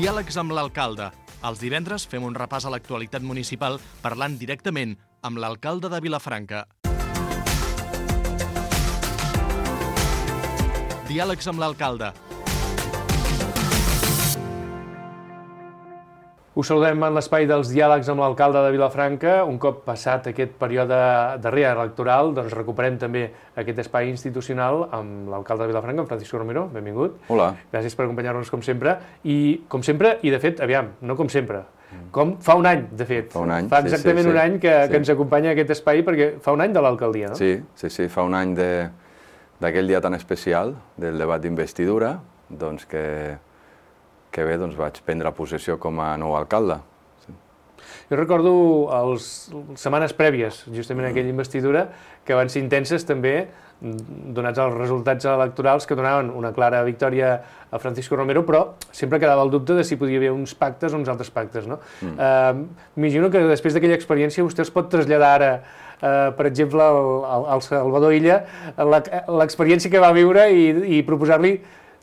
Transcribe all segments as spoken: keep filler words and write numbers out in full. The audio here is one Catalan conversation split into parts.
Diàlegs amb l'alcalde. Els divendres fem un repàs a l'actualitat municipal parlant directament amb l'alcalde de Vilafranca. Diàlegs amb l'alcalde. Us saludem en l'espai dels diàlegs amb l'alcalde de Vilafranca. Un cop passat aquest període darrer electoral, doncs recuperem també aquest espai institucional amb l'alcalde de Vilafranca, en Francisco Romero. Benvingut. Hola. Gràcies per acompanyar-nos com sempre. I com sempre, i de fet, aviam, no com sempre, com fa un any, de fet. Fa un any, Fa exactament sí, sí, sí. un any que, sí. que ens acompanya aquest espai, perquè fa un any de l'alcaldia, no? Sí, sí, sí, fa un any de, d'aquell dia tan especial, del debat d'investidura, doncs que, que bé, doncs vaig prendre possessió com a nou alcalde. Sí. Jo recordo les setmanes prèvies, justament a aquella investidura, que van ser intenses també, donats els resultats electorals que donaven una clara victòria a Francisco Romero, però sempre quedava el dubte de si podia haver uns pactes o uns altres pactes, no? Mm. Uh, M'imagino que després d'aquella experiència vostè es pot traslladar ara, uh, per exemple, al, al Salvador Illa, l'experiència que va viure i, i proposar-li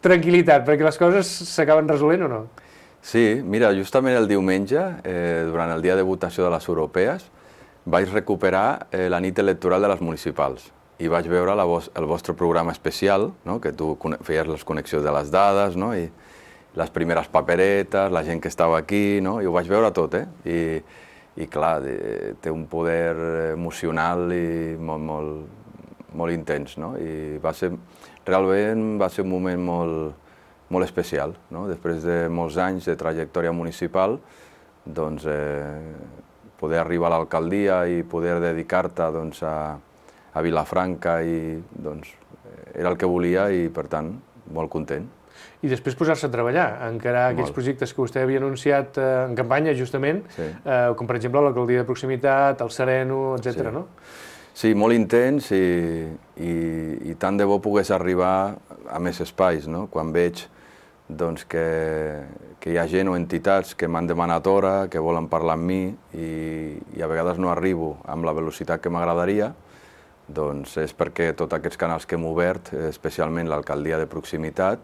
tranquil·litat, perquè les coses s'acaben resolent o no? Sí, mira, justament el diumenge, eh, durant el dia de votació de les europees, vaig recuperar eh, la nit electoral de les municipals i vaig veure la vos, el vostre programa especial, no? Que tu feies les connexions de les dades, no? I les primeres paperetes, la gent que estava aquí, no? I ho vaig veure tot, eh? I, i clar, té un poder emocional i molt, molt, molt intens, no? I va ser, realment va ser un moment molt, molt especial, no? Després de molts anys de trajectòria municipal, doncs eh, poder arribar a l'alcaldia i poder dedicar-te doncs, a, a Vilafranca i doncs era el que volia i per tant molt content. I després posar-se a treballar, a encarar molt. Aquells projectes que vostè havia anunciat eh, en campanya justament, sí. eh, com per exemple l'alcaldia de proximitat, el Sereno, etcètera, sí. no? Sí, molt intens i, i, i tant de bo pogués arribar a més espais, no? Quan veig doncs, que, que hi ha gent o entitats que m'han demanat hora, que volen parlar amb mi i, i a vegades no arribo amb la velocitat que m'agradaria, doncs és perquè tots aquests canals que hem obert, especialment l'alcaldia de proximitat,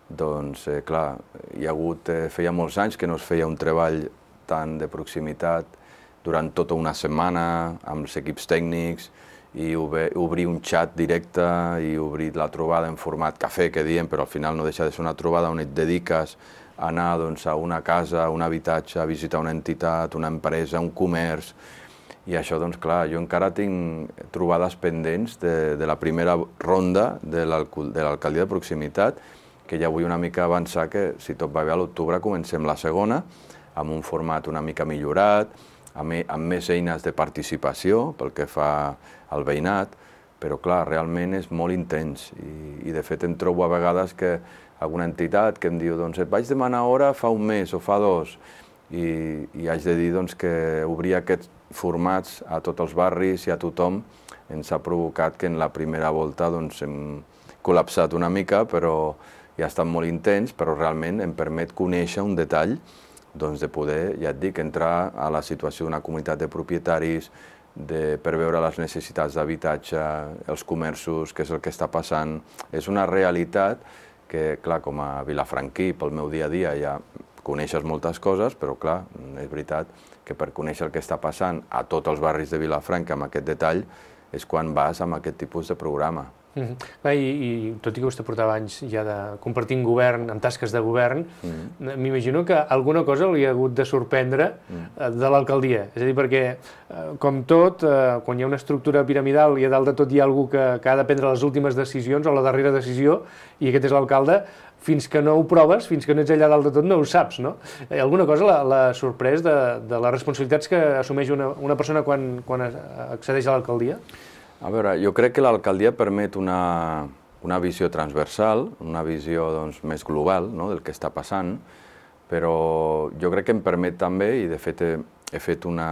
doncs, eh, clar, hi ha hagut, eh, feia molts anys que no es feia un treball tant de proximitat durant tota una setmana amb els equips tècnics i obrir un xat directe i obrir la trobada en format cafè, que diem, però al final no deixa de ser una trobada on et dediques a anar doncs, a una casa, a un habitatge, a visitar una entitat, una empresa, un comerç. I això, doncs clar, jo encara tinc trobades pendents de, de la primera ronda de l'alcaldia de proximitat, que ja vull una mica avançar que, si tot va bé, a l'octubre comencem la segona, amb un format una mica millorat, amb, amb més eines de participació pel que fa al veïnat, però clar, realment és molt intens i, i de fet em trobo a vegades que alguna entitat que em diu doncs et vaig demanar hora fa un mes o fa dos i, i haig de dir doncs, que obrir aquests formats a tots els barris i a tothom ens ha provocat que en la primera volta doncs, hem col·lapsat una mica, però ja ha estat molt intens, però realment em permet conèixer un detall doncs, de poder, ja et dic, entrar a la situació d'una comunitat de propietaris, de, per veure les necessitats d'habitatge, els comerços, què és el que està passant. És una realitat que, clar, com a vilafranquí, pel meu dia a dia ja coneixes moltes coses, però clar, és veritat que per conèixer el que està passant a tots els barris de Vilafranca amb aquest detall és quan vas amb aquest tipus de programa. Mm-hmm. I, I tot i que vostè portava anys ja de compartint govern, amb tasques de govern, mm-hmm. m'imagino que alguna cosa li ha hagut de sorprendre mm. de l'alcaldia. És a dir, perquè, com tot, quan hi ha una estructura piramidal i a dalt de tot hi ha algú que, que ha de prendre les últimes decisions o la darrera decisió, i aquest és l'alcalde, fins que no ho proves, fins que no ets allà dalt de tot, no ho saps, no? Alguna cosa l'ha sorprès de, de les responsabilitats que assumeix una, una persona quan, quan accedeix a l'alcaldia? A veure, jo crec que l'alcaldia permet una, una visió transversal, una visió doncs, més global, no?, del que està passant, però jo crec que em permet també, i de fet he, he fet una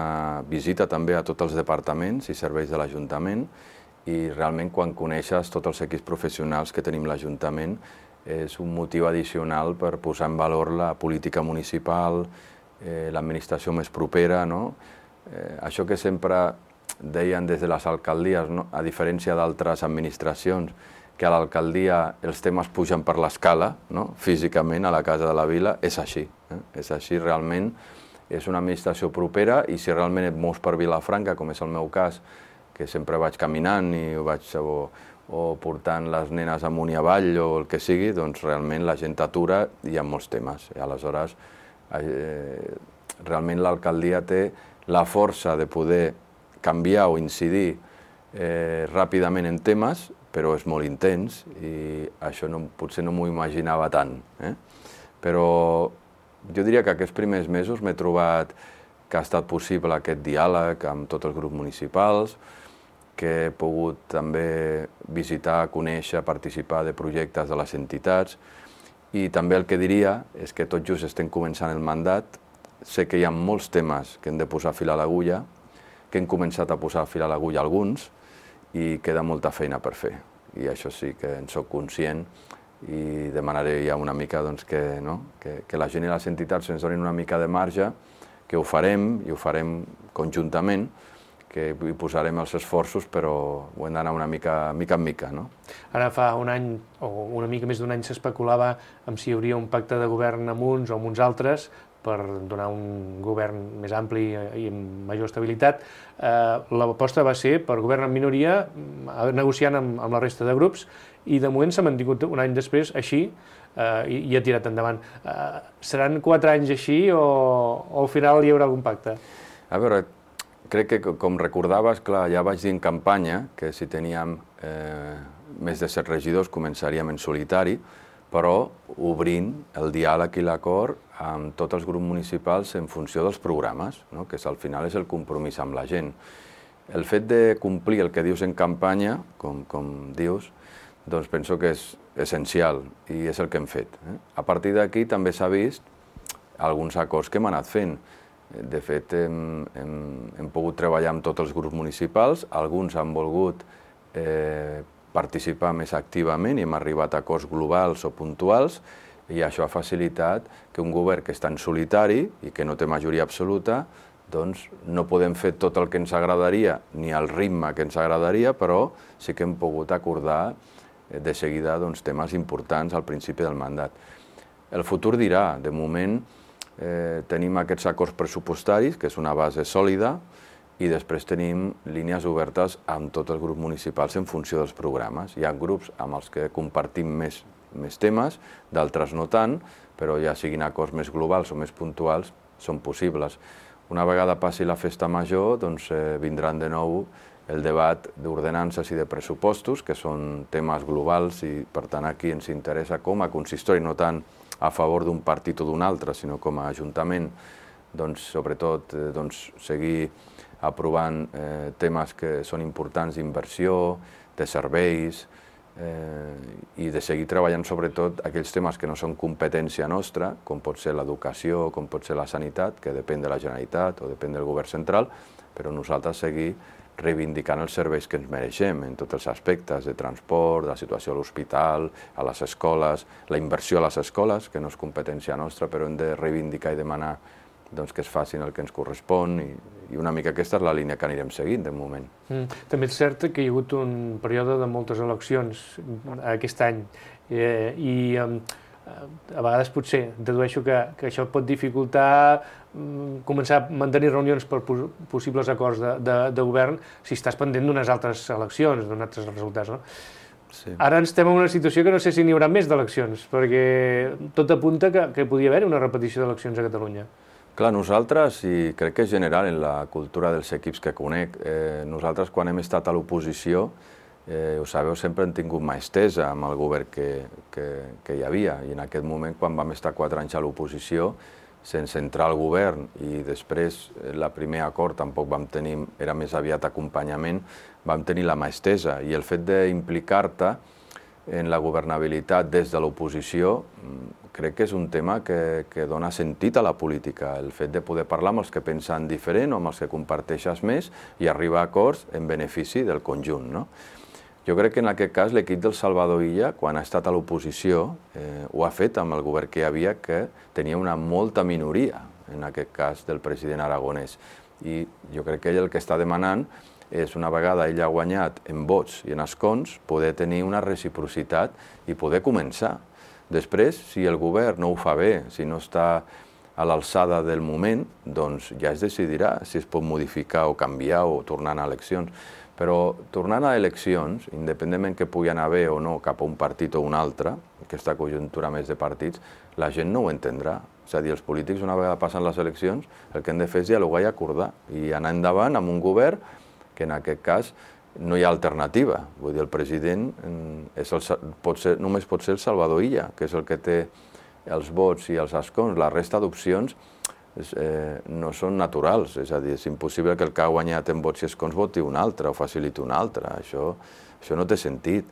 visita també a tots els departaments i serveis de l'Ajuntament, i realment quan coneixes tots els equips professionals que tenim l'Ajuntament és un motiu addicional per posar en valor la política municipal, eh, l'administració més propera, no? Eh, això que sempre deien des de les alcaldies, no? A diferència d'altres administracions, que a l'alcaldia els temes pugen per l'escala, no? Físicament a la Casa de la Vila, és així. És així, realment, és una administració propera i si realment et mous per Vilafranca, com és el meu cas, que sempre vaig caminant i vaig o, o portant les nenes amunt i avall o el que sigui, doncs realment la gent atura i hi ha molts temes. I aleshores, eh, realment l'alcaldia té la força de poder canviar o incidir eh, ràpidament en temes, però és molt intens i això no, potser no m'ho imaginava tant. Eh? Però jo diria que aquests primers mesos m'he trobat que ha estat possible aquest diàleg amb tots els grups municipals, que he pogut també visitar, conèixer, participar de projectes de les entitats i també el que diria és que tot just estem començant el mandat, sé que hi ha molts temes que hem de posar fil a l'agulla, que hem començat a posar fil a l'agulla alguns i queda molta feina per fer. I això sí que en soc conscient i demanaré ja una mica doncs, que, no? que, que la gent i les entitats ens donin una mica de marge, que ho farem i ho farem conjuntament, que hi posarem els esforços, però ho hem d'anar una mica, mica en mica. No? Ara fa un any, o una mica més d'un any, s'especulava amb si hi hauria un pacte de govern amb uns o amb uns altres per donar un govern més ampli i amb major estabilitat. Eh, L'aposta va ser per govern en minoria, negociant amb, amb la resta de grups, i de moment s'ha mantingut un any després així eh, i, i ha tirat endavant. Eh, seran quatre anys així o, o al final hi haurà algun pacte? A veure, crec que, com recordaves, clar, ja vaig dir en campanya que si teníem eh, més de set regidors començaríem en solitari, però obrint el diàleg i l'acord amb tots els grups municipals en funció dels programes, no? Que al final és el compromís amb la gent. El fet de complir el que dius en campanya, com, com dius, doncs penso que és essencial i és el que hem fet. Eh? A partir d'aquí també s'ha vist alguns acords que hem anat fent. De fet, hem, hem, hem pogut treballar amb tots els grups municipals, alguns han volgut eh, participar més activament i hem arribat a acords globals o puntuals i això ha facilitat que un govern que està en solitari i que no té majoria absoluta, doncs no podem fer tot el que ens agradaria ni al ritme que ens agradaria, però sí que hem pogut acordar de seguida doncs, temes importants al principi del mandat. El futur dirà, de moment eh, tenim aquests acords pressupostaris, que és una base sòlida, i després tenim línies obertes amb tots els grups municipals en funció dels programes. Hi ha grups amb els que compartim més, més temes, d'altres no tant, però ja siguin acords més globals o més puntuals, són possibles. Una vegada passi la festa major, doncs eh, vindran de nou el debat d'ordenances i de pressupostos, que són temes globals i, per tant, aquí ens interessa com a consistori, no tant a favor d'un partit o d'un altre, sinó com a ajuntament, doncs, sobretot, eh, doncs, seguir aprovant eh, temes que són importants d'inversió, de serveis, eh, i de seguir treballant sobretot aquells temes que no són competència nostra, com pot ser l'educació, com pot ser la sanitat, que depèn de la Generalitat o depèn del govern central, però nosaltres seguir reivindicant els serveis que ens mereixem en tots els aspectes de transport, de la situació a l'hospital, a les escoles, la inversió a les escoles, que no és competència nostra, però hem de reivindicar i demanar doncs, que es facin el que ens correspon i, i una mica aquesta és la línia que anirem seguint de moment. Mm. També és cert que hi ha hagut un període de moltes eleccions aquest any eh, i eh, a vegades potser dedueixo que, que això pot dificultar mm, començar a mantenir reunions per pos possibles acords de, de, de govern si estàs pendent d'unes altres eleccions, d'uns altres resultats, no? Sí. Ara estem en una situació que no sé si n'hi haurà més d'eleccions, perquè tot apunta que, que podia haver una repetició d'eleccions a Catalunya. Clar, nosaltres, i crec que és general en la cultura dels equips que conec, eh, nosaltres quan hem estat a l'oposició, eh, ho sabeu, sempre hem tingut mà estesa amb el govern que, que, que hi havia, i en aquest moment, quan vam estar quatre anys a l'oposició, sense entrar al govern, i després el primer acord tampoc vam tenir, era més aviat acompanyament, vam tenir la mà estesa, i el fet d'implicar-te en la governabilitat des de l'oposició crec que és un tema que, que dona sentit a la política, el fet de poder parlar amb els que pensen diferent o amb els que comparteixes més i arribar a acords en benefici del conjunt. No? Jo crec que en aquest cas l'equip del Salvador Illa, quan ha estat a l'oposició, eh, ho ha fet amb el govern que hi havia, que tenia una molta minoria, en aquest cas del president aragonès. I jo crec que ell el que està demanant és, una vegada ell ha guanyat en vots i en escons, poder tenir una reciprocitat i poder començar. Després, si el govern no ho fa bé, si no està a l'alçada del moment, doncs ja es decidirà si es pot modificar o canviar o tornar a eleccions. Però tornant a eleccions, independentment que pugui anar bé o no cap a un partit o un altre, aquesta conjuntura més de partits, la gent no ho entendrà. És a dir, els polítics, una vegada passen les eleccions, el que han de fer és dialogar i acordar i anar endavant amb un govern que en aquest cas no hi ha alternativa. Vull dir, el president és el, pot ser, només pot ser el Salvador Illa, que és el que té els vots i els escons. La resta d'opcions eh, no són naturals, és a dir, és impossible que el que ha guanyat en vots i escons voti un altre o faciliti un altre. Això, això no té sentit.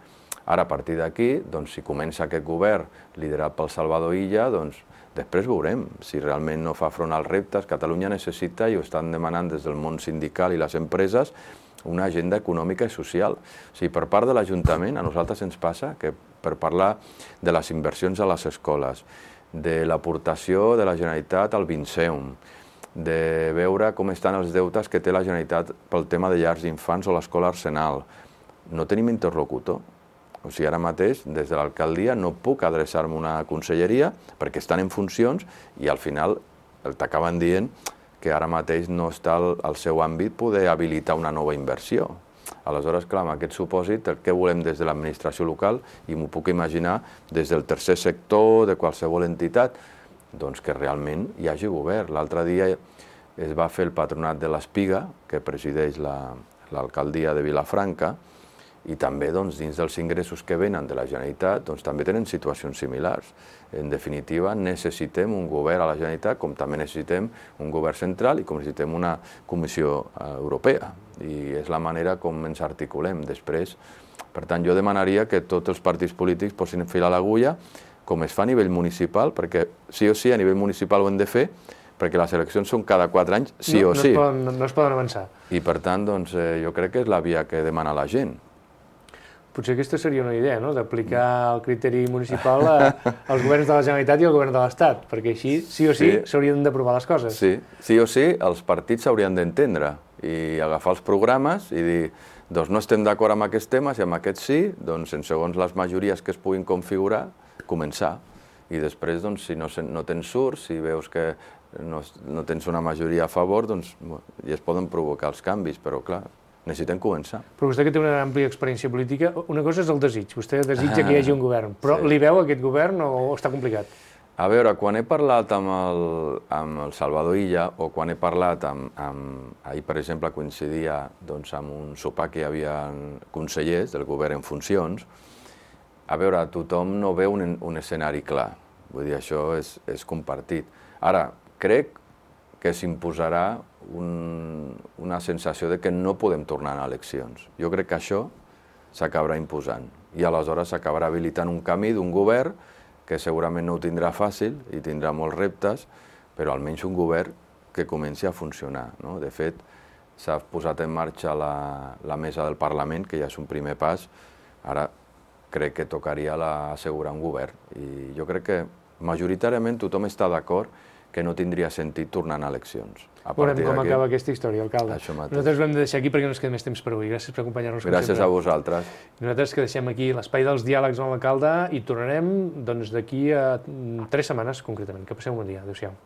Ara, a partir d'aquí, doncs, si comença aquest govern liderat pel Salvador Illa, doncs, després veurem si realment no fa front als reptes. Catalunya necessita, i ho estan demanant des del món sindical i les empreses, una agenda econòmica i social. O sigui, per part de l'Ajuntament, a nosaltres ens passa que per parlar de les inversions a les escoles, de l'aportació de la Generalitat al Vinceum, de veure com estan els deutes que té la Generalitat pel tema de llars d'infants o l'escola Arsenal, no tenim interlocutor. O sigui, ara mateix, des de l'alcaldia, no puc adreçar-me a una conselleria perquè estan en funcions i al final t'acaben dient que ara mateix no està al seu àmbit poder habilitar una nova inversió. Aleshores, clar, amb aquest supòsit, el que volem des de l'administració local, i m'ho puc imaginar des del tercer sector, de qualsevol entitat, doncs que realment hi hagi govern. L'altre dia es va fer el patronat de l'Espiga, que presideix l'alcaldia de Vilafranca, i també dins dels ingressos que venen de la Generalitat també tenen situacions similars. En definitiva, necessitem un govern a la Generalitat, com també necessitem un govern central i com necessitem una Comissió Europea. I és la manera com ens articulem després. Per tant, jo demanaria que tots els partits polítics posin fil a l'agulla, com es fa a nivell municipal, perquè sí o sí a nivell municipal ho hem de fer, perquè les eleccions són cada quatre anys, sí o sí. No es poden avançar. I per tant, jo crec que és la via que demana la gent. Potser aquesta seria una idea, no?, d'aplicar el criteri municipal als governs de la Generalitat i al govern de l'Estat, perquè així, sí o sí, s'haurien d'aprovar les coses. Sí, sí o sí, els partits s'haurien d'entendre i agafar els programes i dir, doncs no estem d'acord amb aquests temes i amb aquests sí, doncs segons les majories que es puguin configurar, començar. I després, doncs, si no tens surt, si veus que no tens una majoria a favor, doncs ja es poden provocar els canvis, però clar, necessitem començar. Però vostè que té una àmplia experiència política, una cosa és el desig. Vostè desitja que hi hagi un govern, però li veu aquest govern o està complicat? A veure, quan he parlat amb el Salvador Illa o quan he parlat amb... Ahir, per exemple, coincidia amb un sopar que hi havia consellers del govern en funcions. A veure, tothom no veu un escenari clar. Vull dir, això és compartit. Ara, crec que s'imposarà una sensació de que no podem tornar a eleccions. Jo crec que això s'acabarà imposant i aleshores s'acabarà habilitant un camí d'un govern que segurament no ho tindrà fàcil i tindrà molts reptes, però almenys un govern que comenci a funcionar. De fet, s'ha posat en marxa la mesa del Parlament, que ja és un primer pas. Ara crec que tocaria assegurar un govern i jo crec que majoritàriament tothom està d'acord que no tindria sentit tornar a eleccions. Veurem com acaba aquesta història, alcalde. Nosaltres ho hem de deixar aquí perquè no ens queda més temps per avui. Gràcies per acompanyar-nos. Gràcies a vosaltres. Nosaltres que deixem aquí l'espai dels diàlegs amb l'alcalde i tornarem d'aquí a tres setmanes concretament. Que passeu un bon dia. Adéu-siau.